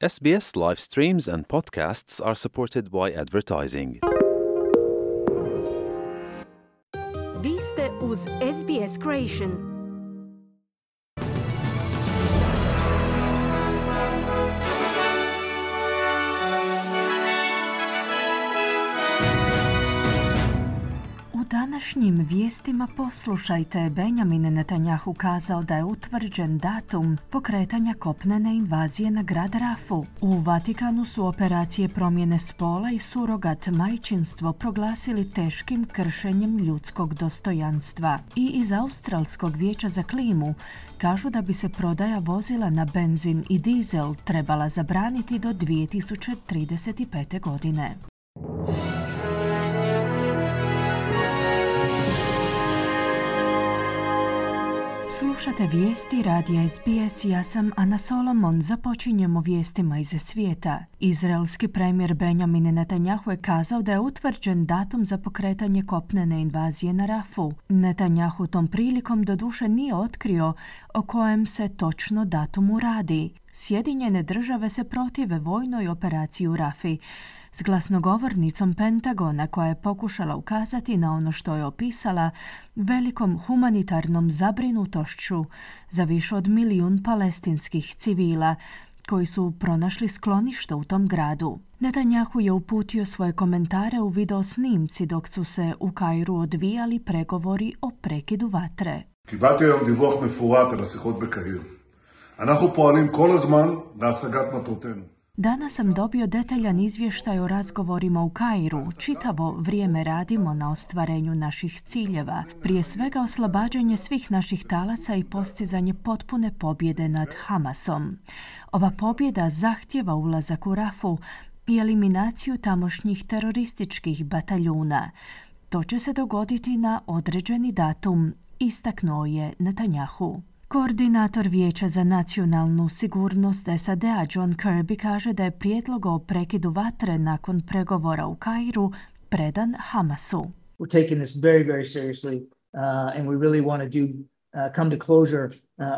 SBS live streams and podcasts are supported by advertising. Vi ste uz SBS Creation. U današnjim vijestima poslušajte, Benjamin Netanjahu kazao da je utvrđen datum pokretanja kopnene invazije na grad Rafu. U Vatikanu su operacije promjene spola i surogat majčinstvo proglasili teškim kršenjem ljudskog dostojanstva. I iz Australskog vijeća za klimu kažu da bi se prodaja vozila na benzin i dizel trebala zabraniti do 2035. godine. Slušate vijesti radija SBS, ja sam Ana Solomon. Započinjemo vijestima iz svijeta. Izraelski premijer Benjamin Netanjahu je kazao da je utvrđen datum za pokretanje kopnene invazije na Rafu. Netanjahu tom prilikom doduše nije otkrio o kojem se točno datumu radi. Sjedinjene države se protive vojnoj operaciji u Rafi s glasnogovornicom Pentagona koja je pokušala ukazati na ono što je opisala velikom humanitarnom zabrinutošću za više od 1 milijun palestinskih civila koji su pronašli sklonište u tom gradu. Netanjahu je uputio svoje komentare u video snimci dok su se u Kairu odvijali pregovori o prekidu vatre. קיבלתי היום דיווח מפורט על השיחות בקהיר. אנחנו פועלים כל הזמן להשגת מטרותינו. Danas sam dobio detaljan izvještaj o razgovorima u Kairu. Čitavo vrijeme radimo na ostvarenju naših ciljeva. Prije svega oslobađanje svih naših talaca i postizanje potpune pobjede nad Hamasom. Ova pobjeda zahtjeva ulazak u Rafu i eliminaciju tamošnjih terorističkih bataljuna. To će se dogoditi na određeni datum, istaknuo je Netanjahu. Koordinator Vijeća za nacionalnu sigurnost SAD-a John Kirby kaže da je prijedlog o prekidu vatre nakon pregovora u Kairu predan Hamasu. We're taking this very, very seriously and we really want to come to closure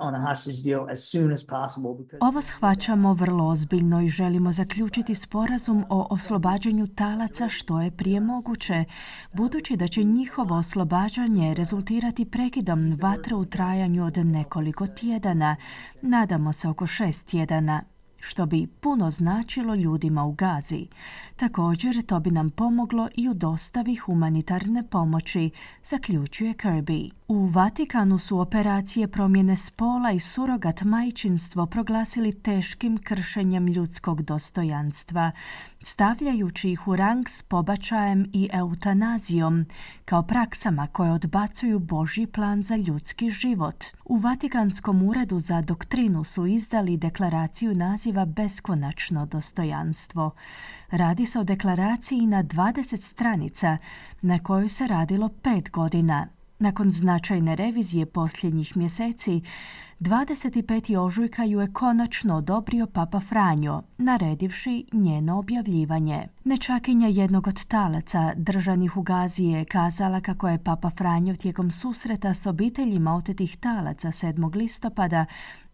on a hostage deal as soon as possible. Ovo shvaćamo vrlo ozbiljno i želimo zaključiti sporazum o oslobađanju talaca što je prije moguće, budući da će njihovo oslobađanje rezultirati prekidom vatre u trajanju od nekoliko tjedana, nadamo se oko 6 tjedana, što bi puno značilo ljudima u Gazi. Također, to bi nam pomoglo i u dostavi humanitarne pomoći, zaključuje Kirby. U Vatikanu su operacije promjene spola i surogat majčinstvo proglasili teškim kršenjem ljudskog dostojanstva, stavljajući ih u rang s pobačajem i eutanazijom, kao praksama koje odbacuju Božji plan za ljudski život. U Vatikanskom uredu za doktrinu su izdali deklaraciju naziva Beskonačno dostojanstvo. Radi se o deklaraciji na 20 stranica na kojoj se radilo 5 godina. Nakon značajne revizije posljednjih mjeseci, 25. ožujka ju je konačno odobrio Papa Franjo, naredivši njeno objavljivanje. Nečakinja jednog od talaca držanih u Gazi je kazala kako je Papa Franjo tijekom susreta s obiteljima otetih talaca 7. listopada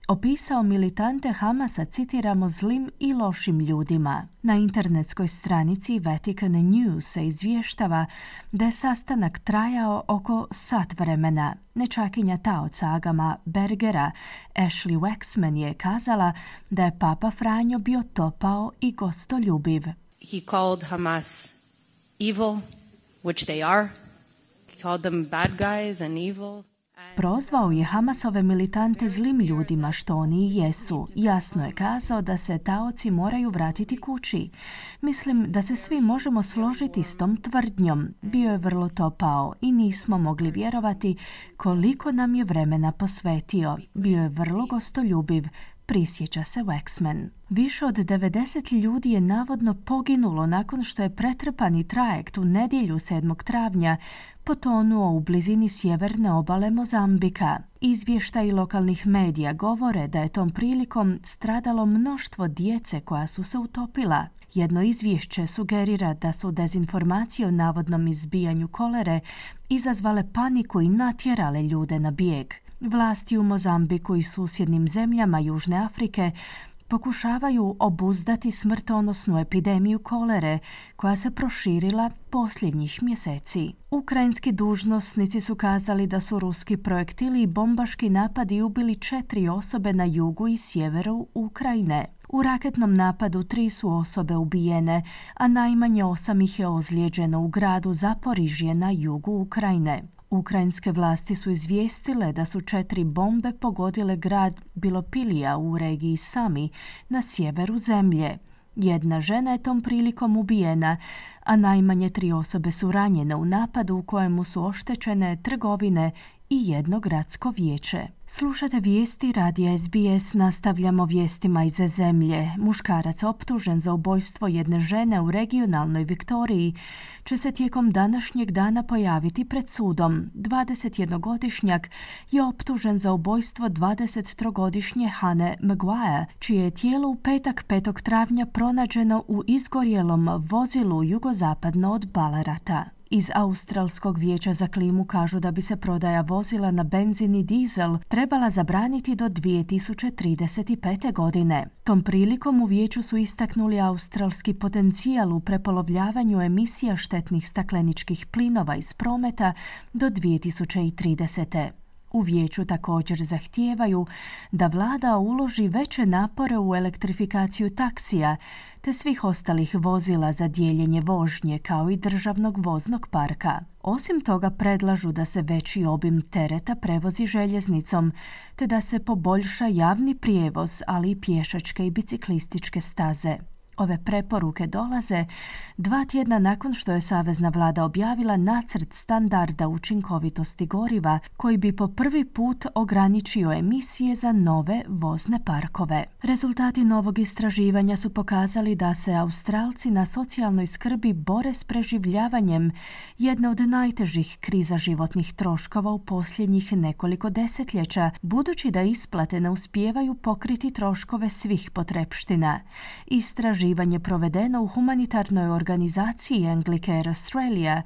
opisao militante Hamasa, citiramo, zlim i lošim ljudima. Na internetskoj stranici Vatican News se izvještava da je sastanak trajao oko sat vremena. Nečakinja taoca Agama Bergera, Ashley Waxman, je kazala da je Papa Franjo bio topao i gostoljubiv. He called Hamas evil, which they are. He called them bad guys and evil. Prozvao je Hamasove militante zlim ljudima, što oni i jesu. Jasno je kazao da se taoci moraju vratiti kući. Mislim da se svi možemo složiti s tom tvrdnjom. Bio je vrlo topao i nismo mogli vjerovati koliko nam je vremena posvetio. Bio je vrlo gostoljubiv, prisjeća se Waxman. Više od 90 ljudi je navodno poginulo nakon što je pretrpani trajekt u nedjelju 7. travnja potonuo u blizini sjeverne obale Mozambika. Izvještaji lokalnih medija govore da je tom prilikom stradalo mnoštvo djece koja su se utopila. Jedno izvješće sugerira da su dezinformacije o navodnom izbijanju kolere izazvale paniku i natjerale ljude na bijeg. Vlasti u Mozambiku i susjednim zemljama Južne Afrike pokušavaju obuzdati smrtonosnu epidemiju kolere koja se proširila posljednjih mjeseci. Ukrajinski dužnosnici su kazali da su ruski projektili i bombaški napadi ubili 4 osobe na jugu i sjeveru Ukrajine. U raketnom napadu 3 su osobe ubijene, a najmanje 8 ih je ozlijeđeno u gradu Zaporižje na jugu Ukrajine. Ukrajinske vlasti su izvijestile da su 4 bombe pogodile grad Bilopilija u regiji Sami na sjeveru zemlje. Jedna žena je tom prilikom ubijena, a najmanje 3 osobe su ranjene u napadu u kojemu su oštećene trgovine i jedno gradsko vijeće. Slušate vijesti radija SBS, nastavljamo vijestima iz zemlje. Muškarac optužen za ubojstvo jedne žene u regionalnoj Viktoriji će se tijekom današnjeg dana pojaviti pred sudom. 21-godišnjak je optužen za ubojstvo 23-godišnje Hane Maguire, čije je tijelo u petak 5. travnja pronađeno u izgorjelom vozilu jugozapadno od Ballarata. Iz Australskog vijeća za klimu kažu da bi se prodaja vozila na benzin i dizel trebala zabraniti do 2035. godine. Tom prilikom u vijeću su istaknuli australski potencijal u prepolovljavanju emisija štetnih stakleničkih plinova iz prometa do 2030. U vijeću također zahtijevaju da vlada uloži veće napore u elektrifikaciju taksija te svih ostalih vozila za dijeljenje vožnje kao i državnog voznog parka. Osim toga predlažu da se veći obim tereta prevozi željeznicom te da se poboljša javni prijevoz, ali i pješačke i biciklističke staze. Ove preporuke dolaze 2 tjedna nakon što je savezna vlada objavila nacrt standarda učinkovitosti goriva koji bi po prvi put ograničio emisije za nove vozne parkove. Rezultati novog istraživanja su pokazali da se Australci na socijalnoj skrbi bore s preživljavanjem jedne od najtežih kriza životnih troškova u posljednjih nekoliko desetljeća, budući da isplate ne uspijevaju pokriti troškove svih potrepština. Istraživanje provedeno u humanitarnoj organizaciji Anglicare Australia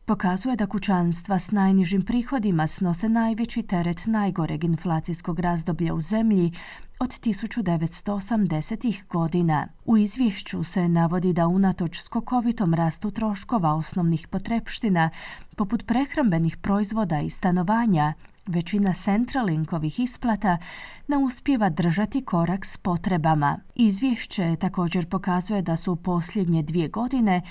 pokazuje da kućanstva s najnižim prihodima snose najveći teret najgoreg inflacijskog razdoblja u zemlji od 1980-ih godina. U izvješću se navodi da unatoč skokovitom rastu troškova osnovnih potrepština, poput prehrambenih proizvoda i stanovanja, većina Centralinkovih isplata ne uspijeva držati korak s potrebama. Izvješće također pokazuje da su u posljednje 2 godine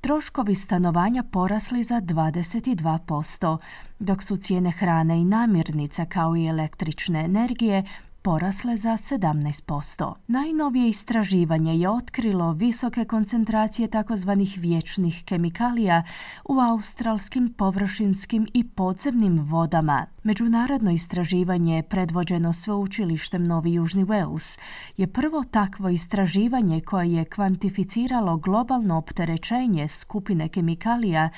troškovi stanovanja porasli za 22%, dok su cijene hrane i namirnica kao i električne energije porasle za 17%. Najnovije istraživanje je otkrilo visoke koncentracije takozvanih vječnih kemikalija u australskim površinskim i podzemnim vodama. Međunarodno istraživanje predvođeno sveučilištem Novi Južni Wales je prvo takvo istraživanje koje je kvantificiralo globalno opterećenje skupine kemikalija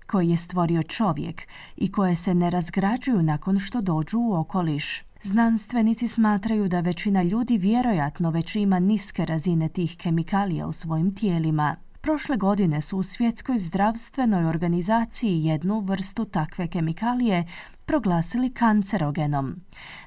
koje je stvorio čovjek i koje se ne razgrađuju nakon što dođu u okoliš. Znanstvenici smatraju da većina ljudi vjerojatno već ima niske razine tih kemikalija u svojim tijelima. Prošle godine su u Svjetskoj zdravstvenoj organizaciji jednu vrstu takve kemikalije proglasili kancerogenom.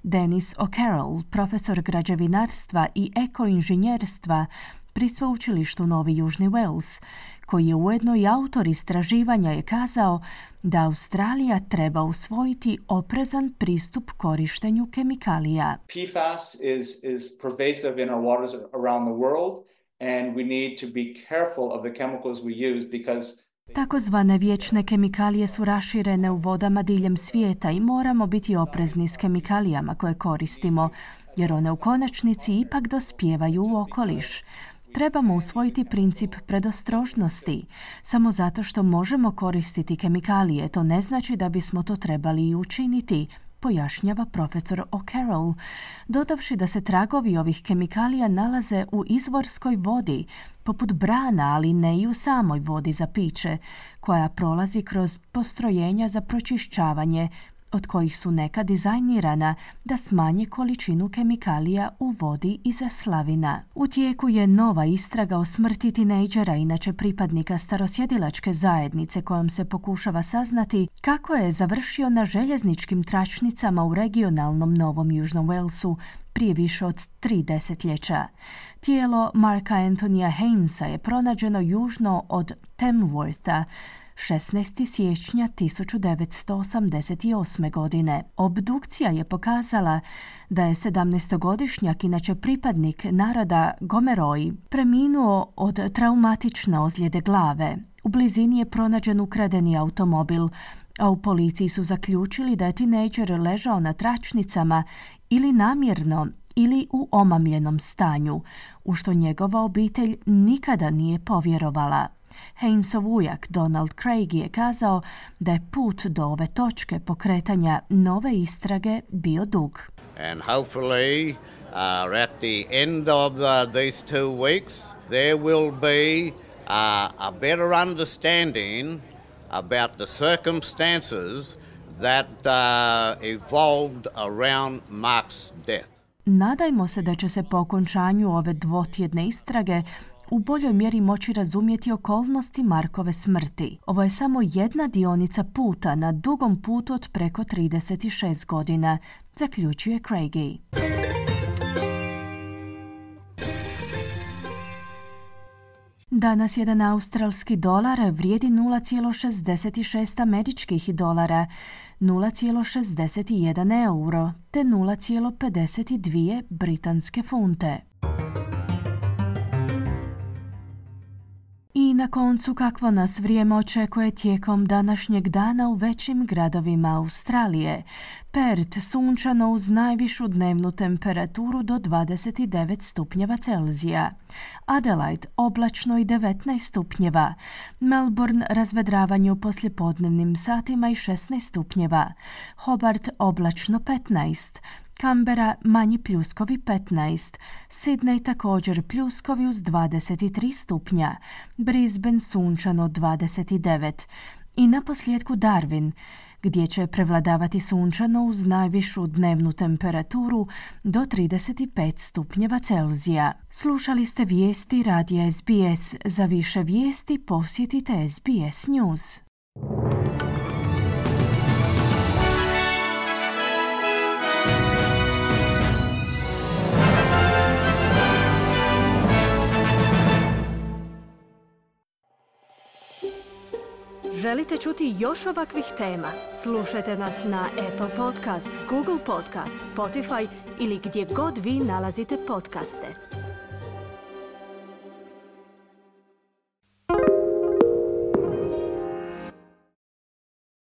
Dennis O'Carroll, profesor građevinarstva i ekoinženjerstva pri sveučilištu Novi Južni Wales, koji je ujedno i autor istraživanja, je kazao da Australija treba usvojiti oprezan pristup korištenju kemikalija. PFAS is pervasive in our waters around the world and we need to be careful of the chemicals we use because Takozvane vječne kemikalije su raširene u vodama diljem svijeta i moramo biti oprezni s kemikalijama koje koristimo, jer one u konačnici ipak dospijevaju u okoliš. Trebamo usvojiti princip predostrožnosti. Samo zato što možemo koristiti kemikalije, to ne znači da bismo to trebali i učiniti, pojašnjava profesor O'Carroll, dodavši da se tragovi ovih kemikalija nalaze u izvorskoj vodi, poput brana, ali ne i u samoj vodi za piće, koja prolazi kroz postrojenja za pročišćavanje, od kojih su neka dizajnirana da smanje količinu kemikalija u vodi iz slavina. U tijeku je nova istraga o smrti tinejdžera, inače pripadnika starosjedilačke zajednice, kojom se pokušava saznati kako je završio na željezničkim tračnicama u regionalnom Novom Južnom Walesu prije više od 3 desetljeća. Tijelo Marka Anthonyja Hainesa je pronađeno južno od Tamwortha 16. siječnja 1988. godine. Obdukcija je pokazala da je 17-godišnjak, inače pripadnik naroda Gomeroi, preminuo od traumatične ozljede glave. U blizini je pronađen ukradeni automobil, a u policiji su zaključili da je tinejdžer ležao na tračnicama ili namjerno ili u omamljenom stanju, u što njegova obitelj nikada nije povjerovala. Hainesov ujak Donald Craig je kazao da je put do ove točke pokretanja nove istrage bio dug. And hopefully at the end of these 2 weeks there will be a better understanding about the circumstances that evolved around Mark's death. Nadajmo se da će se po okončanju ove dvotjedne istrage u boljoj mjeri moći razumjeti okolnosti Markove smrti. Ovo je samo jedna dionica puta na dugom putu od preko 36 godina, zaključuje Craigie. Danas jedan australski dolar vrijedi 0,66 američkih dolara, 0,61 euro te 0,52 britanske funte. I na koncu, kakvo nas vrijeme očekuje tijekom današnjeg dana u većim gradovima Australije. Perth sunčano uz najvišu dnevnu temperaturu do 29 stupnjeva Celzija. Adelaide oblačno i 19 stupnjeva. Melbourne razvedravanje u poslijepodnevnim satima i 16 stupnjeva. Hobart oblačno 15. Canberra manji pljuskovi 15, Sydney također pljuskovi uz 23 stupnja, Brisbane sunčano 29 i naposljetku Darwin, gdje će prevladavati sunčano uz najvišu dnevnu temperaturu do 35 stupnjeva Celzija. Slušali ste vijesti radija SBS. Za više vijesti posjetite SBS News. Želite čuti još ovakvih tema? Slušajte nas na Apple Podcast, Google Podcast, Spotify ili gdje god vi nalazite podcaste.